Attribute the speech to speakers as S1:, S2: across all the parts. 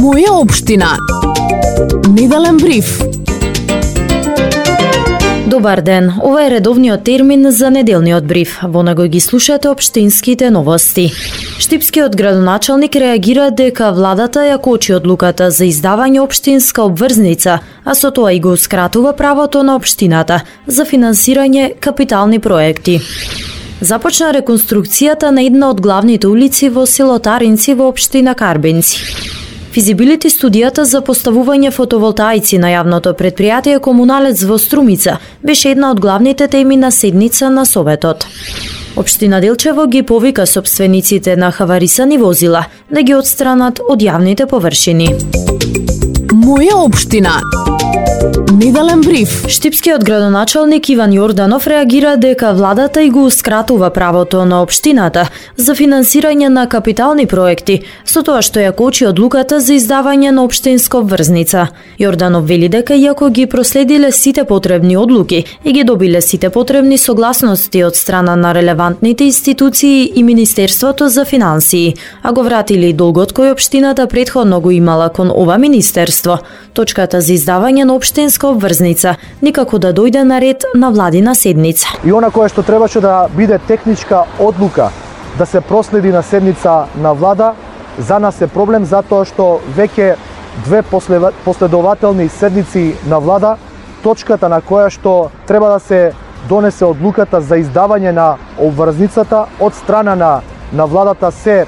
S1: Моја општина. Неделен бриф.
S2: Добар ден, ова е редовниот термин за неделниот бриф. Во него ги слушате општинските новости. Штипскиот градоначалник реагира дека владата ја кочи одлуката за издавање општинска обврзница, а со тоа и го скратува правото на општината за финансирање капитални проекти. Започна реконструкцијата на една од главните улици во село Таринци во општина Карбенци. Физибилити студијата за поставување фотоволтаици на јавното предпријатие Комуналец во Струмица беше една од главните теми на седница на Советот. Општина Делчево ги повика сопствениците на хаварисани возила да ги отстранат од јавните површини.
S1: Моја општина. Неделен бриф.
S2: Штипскиот градоначалник Иван Јорданов реагира дека владата и го скратува правото на општината за финансирање на капитални проекти, со тоа што ја кочи одлуката за издавање на општинска обврзница. Јорданов вели дека иако ги проследиле сите потребни одлуки и ги добиле сите потребни согласности од страна на релевантните институции и Министерството за финансии, а го вратили долгот кој општината претходно го имала кон ова министерство, точката за издавање на општинска обврзница никако да дојде на ред на владина седница.
S3: И она кое што требаше да биде техничка одлука да се проследи на седница на влада, за нас е проблем затоа што веќе две последователни седници на влада, точката на која што треба да се донесе одлуката за издавање на обврзницата од страна на владата се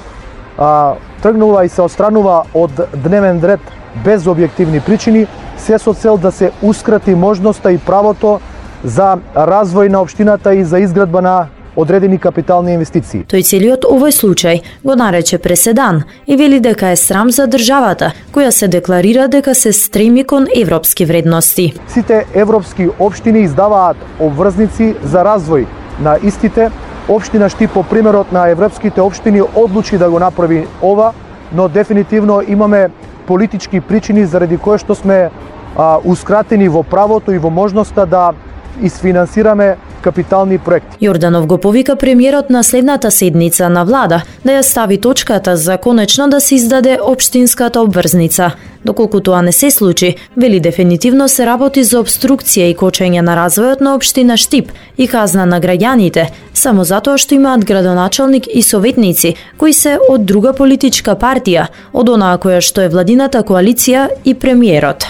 S3: тргнува и се отстранува од дневен ред без објективни причини, се со цел да се ускрати можноста и правото за развој на општината и за изградба на одредени капитални инвестиции.
S2: Тој целиот овој случај го нарече преседан и вели дека е срам за државата, која се декларира дека се стреми кон европски вредности.
S3: Сите европски општини издаваат обврзници за развој на истите. Општина Штип по примерот на европските општини одлучи да го направи ова, но дефинитивно имаме политички причини заради кои што сме ускратени во правото и во можноста да изфинансираме капитални проекти.
S2: Јорданов го повика премиерот на следната седница на влада да ја стави точката за конечно да се издаде општинската обврзница. Доколку тоа не се случи, вели дефинитивно се работи за обструкција и кочење на развојот на општина Штип и казна на граѓаните, само затоа што имаат градоначалник и советници кои се од друга политичка партија, од онаа која што е владината коалиција и премиерот.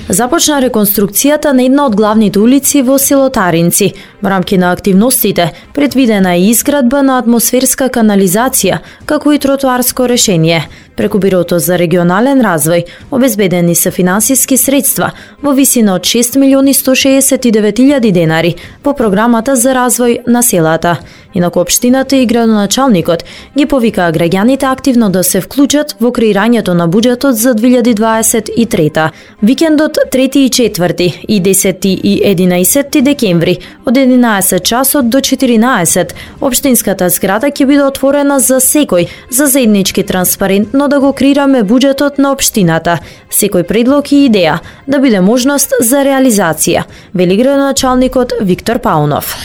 S2: Започна реконструкцијата на една од главните улици во село Таринци. Во рамки на активностите предвидена е изградба на атмосферска канализација, како и тротоарско решение. Преку Бирото за регионален развој обезбедени се финансиски средства во висина од 6.169.000 денари по програмата за развој на селата. Инаку општината и градоначалникот ги повикаа граѓаните активно да се вклучат во креирањето на буџетот за 2023. Викендот 3 и 4 и 10 и 11 декември од 11 часот до 14 општинската зграда ќе биде отворена за секој, за заеднички транспарентно да го креираме буџетот на општината. Секој предлог и идеја да биде можност за реализација, вели градоначалникот Виктор Паунов.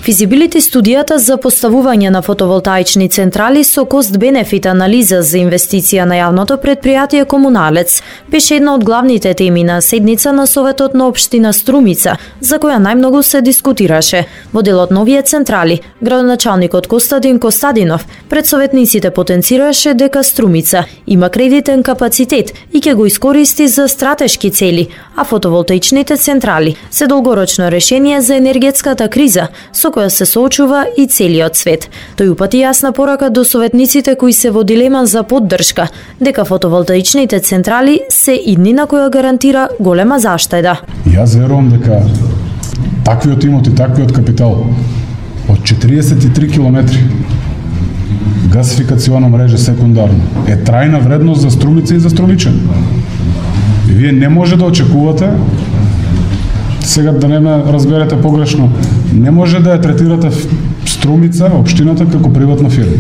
S2: Физибилити студијата за поставување на фотоволтаични централи со кост-бенефит анализа за инвестиција на јавното предпријатие Комуналец беше една од главните теми на седница на Советот на општина Струмица, за која најмногу се дискутираше. Во делот на овие централи, градоначалникот Костадин Костадинов пред советниците потенцираше дека Струмица има кредитен капацитет и ќе го искористи за стратешки цели, а фотоволтаичните централи се долгорочно решение за енергетската криза со која се соочува и целиот свет. Тој упати јасна порака до советниците кои се во дилема за поддршка, дека фотоволтаичните централи се иднина која гарантира голема заштеда.
S4: Јас верувам дека таквиот имот и таквиот капитал од 43 километри гасификациона мрежа секундарно е трајна вредност за Струмица и за струмичани. Вие не може да очекувате, сега да не ме разберете погрешно, не може да ја третирате Струмица, општината, како приватна фирма.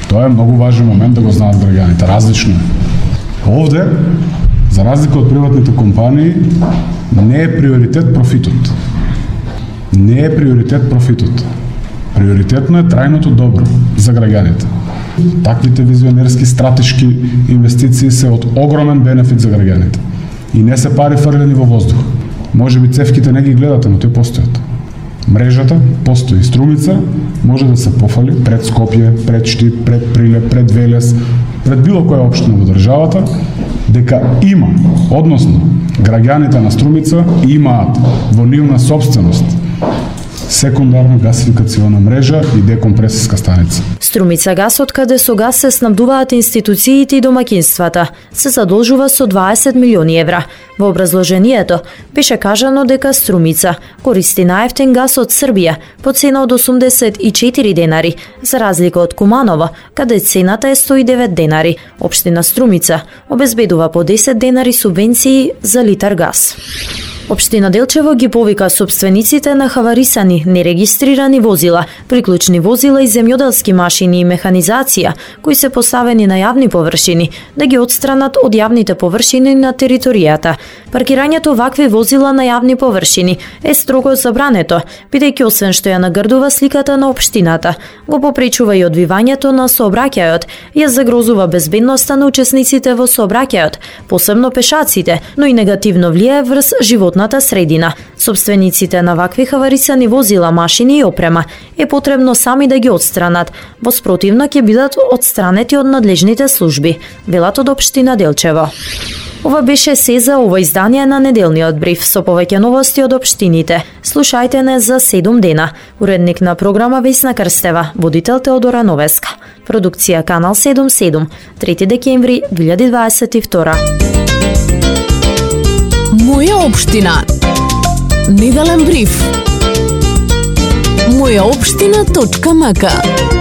S4: Тоа е многу важен момент да го знаат граѓаните. Различно е. Овде, за разлика од приватните компании, не е приоритет профитот. Не е приоритет профитот. Приоритетно е трајното добро за граѓаните. Таквите визионерски стратешки инвестиции се од огромен бенефит за граѓаните. И не се пари фрлени во воздух. Може би цевките не ги гледате, но тој постојат. Мрежата постои. Струмица може да се пофали пред Скопје, пред Штип, пред Прилеп, пред Велес, пред било која општина во државата, дека има, односно, граѓаните на Струмица имаат во нивна собственост секундарна гасификациона мрежа и декомпресиска станица.
S2: Струмица гас, од каде со газ се снабдуваат институциите и домаќинствата, се задолжува со 20 милиони евра. Во образложението беше кажано дека Струмица користи најефтин газ од Србија по цена од 84 денари, за разлика од Куманово, каде цената е 109 денари. Општина Струмица обезбедува по 10 денари субвенции за литар газ. Општина Делчево ги повика сопствениците на хаварисани, нерегистрирани возила, приклучни возила и земјоделски машини и механизација, кои се поставени на јавни површини, да ги отстранат од јавните површини на територијата. Паркирањето вакви возила на јавни површини е строго забрането, бидејќи освен што ја нагрдува сликата на општината, го попречува и одвивањето на сообраќајот, ја загрозува безбедноста на учесниците во сообраќајот, посебно пешаците, но и негативно влијае врз животната средина. Собствениците на вакви хаварисани возила, машини и опрема е потребно сами да ги отстранат, во спротивно ќе бидат отстранети од надлежните служби, велат од општина Делчево. Ова беше се за ова издание на неделниот бриф со повеќе новости од општините. Слушајте не за 7 дена. Уредник на програма Весна Крстева, водител Теодора Новеска. Продукција Канал 77, 3 декември 2022.
S1: Моја општина. Неделен бриф. Мојаопштина.мк